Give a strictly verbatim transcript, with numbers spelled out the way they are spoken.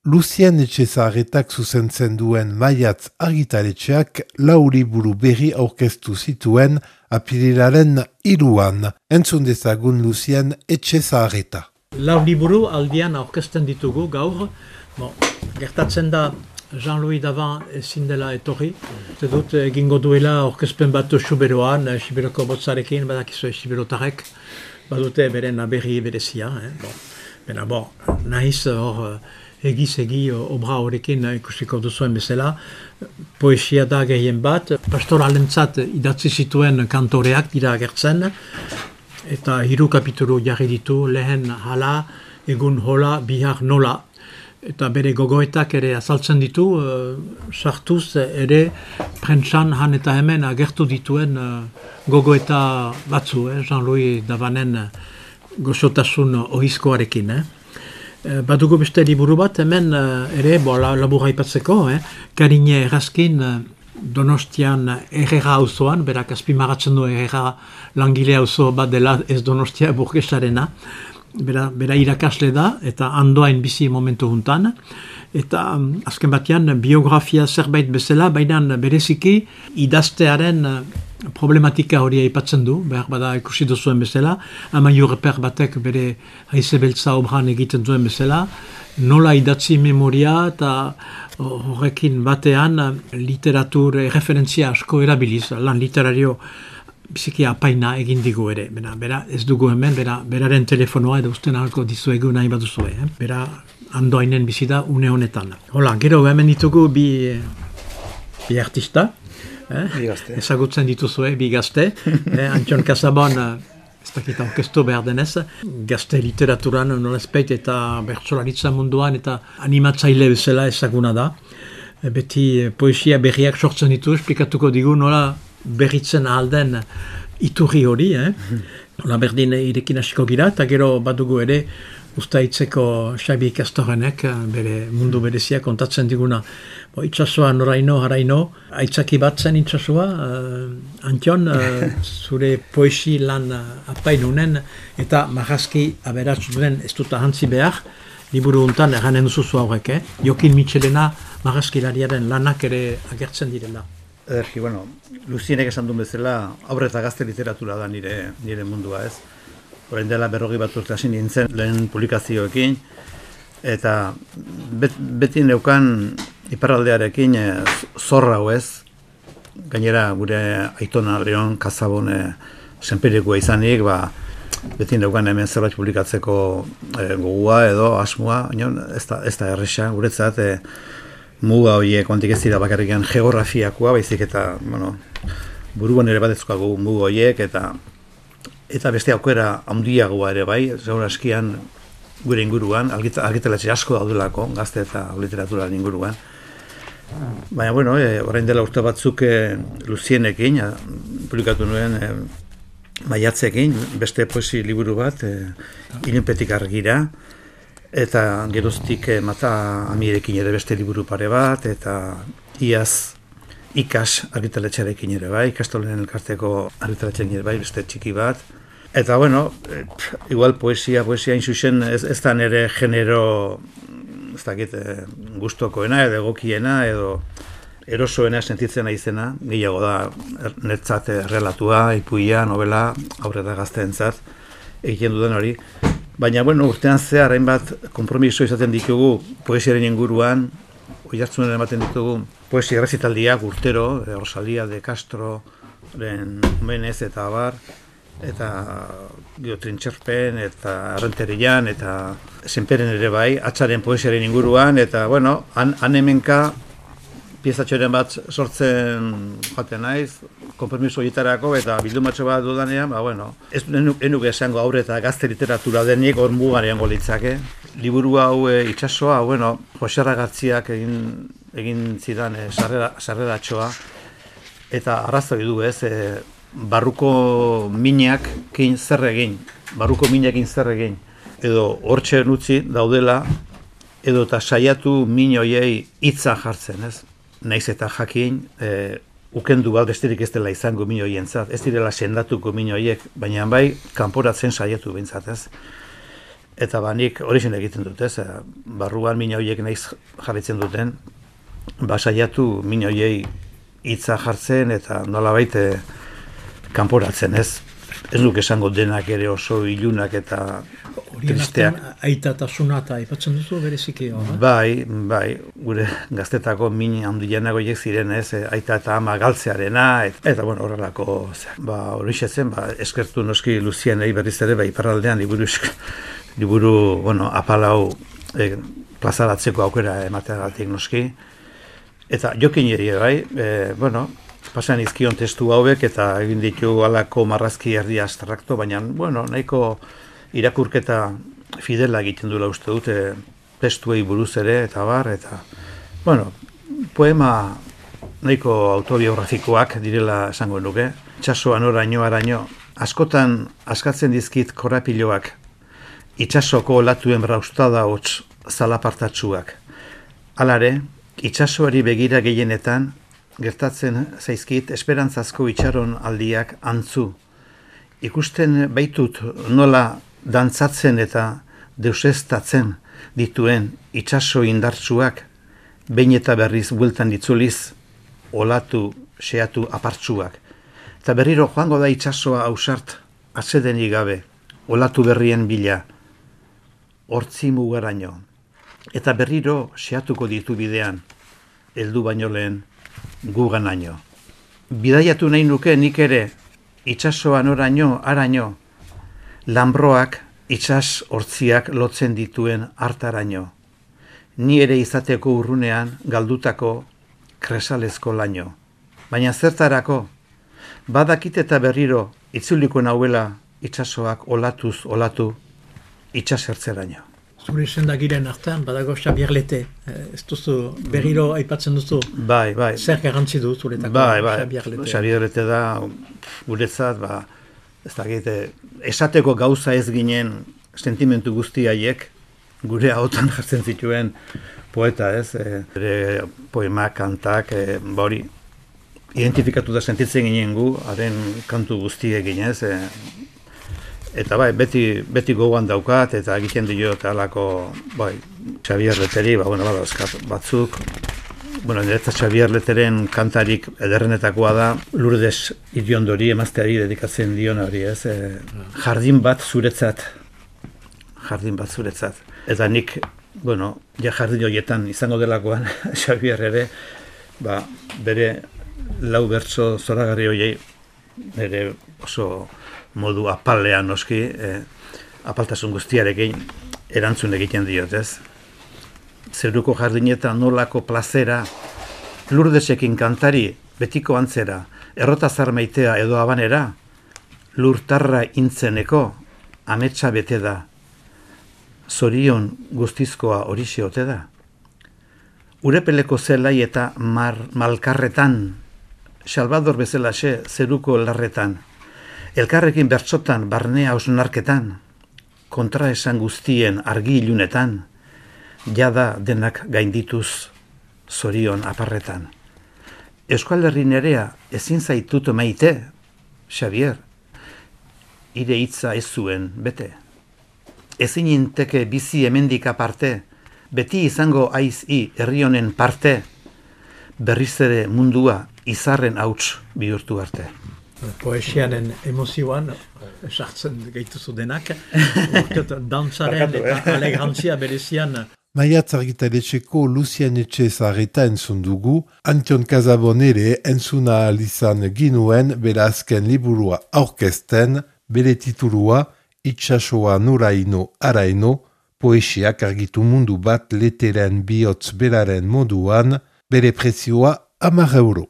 Lucien Etxezaharretak zuzentzen duen Maiatz argitaletxeak lau liburu berri aurkeztu zituen apirilaren hiruan. Entzun dezagun Lucien Etxezaharreta. Lau liburu aldian aurkezten ditugu gaur. Bon, gertatzen da Jean-Louis Davan ezin dela etorri. Eta dut egingo duela aurkezpen bat Xuberoan, Xiberoko botzarekin, badakizu Xiberotarek, badute beren aberri berezia. Eh? Bon. Bena, bon, nahiz hor egiz-egi obra horrekin ikusiko duzuen bezala. Poesia da gehien bat, pastoralentzat idatzi zituen kantoreak dira agertzen, eta hiru kapitulu jarri ditu, lehen hala, egun hola, bihar nola. Eta bere gogoetak ere azaltzen ditu, uh, sartuz ere prentsan han eta hemen agertu dituen uh, gogoeta batzu, eh? Jean-Louis Davanen gozotasun ohizkoarekin. Eh? Badugu beste liburu bat, hemen uh, ere, bo, la, labura ipatzeko, eh? Karine Errazkin uh, Donostian Herrera auzoan, berak azpimaratzen du Herrera langile auzo bat dela ez Donostia burgesarena, bera, bera irakasle da, eta andoain bizi momentu juntan, eta um, azken batean biografia zerbait bezala, baina bereziki idaztearen uh, problematika hori aipatzen du, behar bada ikusi duzuen bezala, Amaiur Reper batek bere haize beltza obran egiten duen bezala, nola idatzi memoria eta horrekin batean literatur referentzia asko erabiliz, lan literario biziki apaina egin digu ere. Bera, bera ez dugu hemen, bera, beraren telefonoa edo usten ahalko dizuegu nahi baduzue. Eh? Bera andoainen bizi da une honetan. Hola, gero hemen ditugu bi, bi artista, Eh? Ezagutzen dituzue, bi gazte. eh, Antxon Kasabon, ez dakit aurkeztu behar denez, gazte literaturan nolazpeit eta bertsolaritza munduan eta animatzaile bezala ezaguna da. E, beti poesia berriak sortzen ditu, esplikatuko digu nola berritzen ahalden iturri hori. Eh? Nola berdin irekin hasiko gira, eta gero badugu ere Uztaitzeko Xabi Kastorenek bere mundu berezia kontatzen diguna. Bo, itxasua noraino, haraino, aitzaki bat zen itxasua, uh, Antion, uh, zure poesi lan uh, apainunen, eta marrazki aberatz duen ez dut ahantzi behar, liburu untan erranen duzuzu aurrek, eh? Jokin Mitxelena marrazkilariaren lanak ere agertzen direla. Ederki, bueno, Lucienek esan duen bezala, aurre eta gazte literatura da nire, nire mundua ez. Orain dela berrogi bat urte hasi nintzen lehen publikazioekin, eta bet, beti neukan iparraldearekin e, zorra hau ez, gainera gure aitona Leon Kasabon e, senperikoa izanik, ba, beti neukan hemen zerbait publikatzeko e, gogua edo asmoa, ez da, ez da erresa, guretzat e, muga horiek ontik ez dira bakarrikan geografiakoa, baizik eta, bueno, buruan ere bat ezkoago muga horiek, eta Eta beste aukera handiagoa ere bai, zaur askian gure inguruan, argitaletxe asko daudelako, gazte eta literaturaren inguruan. Baina, bueno, e, orain dela urte batzuk e, Lucienekin, publikatu nuen e, Maiatzekin, beste poesi liburu bat, e, Ilunpetik argira, eta geroztik e, Mata Amirekin ere beste liburu pare bat, eta iaz Ikas argitaletxearekin ere bai, Ikastolen elkarteko argitaletxearekin ere bai, beste txiki bat. Eta, bueno, eh, igual poesia, poesia inzuzen ez, ez da nire genero, ez dakit, eh, gustokoena edo egokiena edo erosoena sentitzen naizena, gehiago da netzat relatua, ipuia, novela, aurrera gazteentzat egiten duden hori. Baina, bueno, urtean zehar hainbat konpromiso izaten ditugu poesiaren inguruan, oihartzunen ematen ditugu poesia errezitaldiak urtero, de Rosalía de Castro, Menez eta abar, eta Trintxerpen, eta Arrenterian, eta Senperen ere bai, Atzaren poesiaren inguruan, eta, bueno, han, han hemenka piezatxoren bat sortzen joaten naiz, konpromiso horietarako, eta bildumatxo bat dudanean, ba, bueno, ez enuke esango aurre eta gazte literatura denik hor mugarean golitzake. Liburu hau e, itxasoa, bueno, Jose Arragatziak egin, egin zidan e, sarrera, sarreratxoa, eta arrazoi du ez, e, barruko mineakin zer egin, barruko mineakin zer egin, edo hortxe utzi daudela, edo eta saiatu min horiei hitza jartzen, ez? Naiz eta jakin, e, ukendu bat besterik ez dela izango min horientzat, ez direla sendatuko min horiek, baina bai, kanporatzen saiatu behintzat, ez? Eta ba, nik hori zen egiten dut, ez? Barruan mina horiek naiz jarritzen duten, ba, saiatu mina horiei hitza jartzen eta nolabait kanporatzen, ez? Ez duk esango denak ere oso ilunak eta tristeak. Aitatasuna eta aipatzen duzu bereziki hor, eh? Bai, bai, gure gaztetako min handienak horiek ziren, ez? Aita eta ama galtzearena, et, eta bueno, horrelako, ba, hori zen, ba, eskertu noski Luzienei berriz ere, ba, iparraldean liburu, liburu, bueno, apalau e, plazaratzeko aukera emateagatik noski. Eta jokin ere, bai, e, bueno, pasan izkion testu hauek eta egin ditu alako marrazki erdi abstrakto, baina, bueno, nahiko irakurketa fidela egiten duela uste dute testuei buruz ere, eta bar, eta, bueno, poema nahiko autobiografikoak direla esango nuke. Itxasoan oraino, araino, askotan askatzen dizkit korapiloak, itxasoko olatuen braustada hots zalapartatsuak. Halare, itxasoari begira gehienetan, gertatzen zaizkit esperantzazko itxaron aldiak antzu. Ikusten baitut nola dantzatzen eta deuseztatzen dituen itxaso indartsuak, behin eta berriz bueltan ditzuliz, olatu, xeatu apartsuak. Eta berriro joango da itxasoa ausart, atsedenik gabe, olatu berrien bila, hortzi mugaraino. Eta berriro xeatuko ditu bidean, heldu baino lehen, guganaino. Bidaiatu nahi nuke nik ere, itxasoan oraino, araino, lambroak itsas hortziak lotzen dituen hartaraino. Ni ere izateko urrunean galdutako kresalezko laino. Baina zertarako, badakit eta berriro itzuliko nauela itxasoak olatuz olatu itxasertzeraino. Zure sendagiren artean, badago Xabier Lete, ez duzu berriro aipatzen duzu, bai, bai. Zer garrantzi du zuretako bai, bai. Xabier Lete? Xabier Lete da, guretzat, ba, ez dakit, esateko gauza ez ginen sentimentu guzti haiek, gure ahotan jartzen zituen poeta, ez? Ere poemak, kantak, e, ba hori, identifikatu da sentitzen ginen gu, haren kantu guztiek ginez, e, eta bai, beti, beti gogoan daukat, eta egiten dio eta alako, bai, Xabier Leteri, ba, bueno, badauzkat batzuk. Bueno, niretzat Xabier Leteren kantarik ederrenetakoa da, Lourdes Iriondori emazteari dedikatzen dion hori, ez? E, jardin bat zuretzat, jardin bat zuretzat. Eta nik, bueno, ja jardin horietan izango delakoan, Xabier ere, ba, bere lau bertso zoragarri horiei, bere oso modu apalean noski, eh, apaltasun guztiarekin erantzun egiten diot, ez? Zeruko jardinetan nolako plazera, Lurdesekin kantari betiko antzera, errotazar maitea edo abanera, lurtarra intzeneko, ametsa bete da, zorion guztizkoa horixe ote da. Urepeleko zelai eta mar, malkarretan, Salvador bezalaxe zeruko larretan, elkarrekin bertsotan barnea osnarketan, kontraesan guztien argi ilunetan, jada denak gaindituz zorion aparretan. Euskal Herri nerea ezin zaitut maite, Xabier, ire hitza ez zuen bete. Ezin inteke bizi hemendik aparte, beti izango aiz i herri honen parte, berriz ere mundua izarren hauts bihurtu arte. Poesianen emozioan, sartzen gaituzu denak, dantzaren eta alegrantzia berezian. Maiatz argitaletxeko Lucien Etxezarreta entzun dugu, Antion Casabon ere entzuna alizan ginuen bere azken liburua aurkezten, bere titulua Itxasoa noraino araino, poesiak argitu mundu bat leteren bihotz beraren moduan, bere prezioa hamar euro.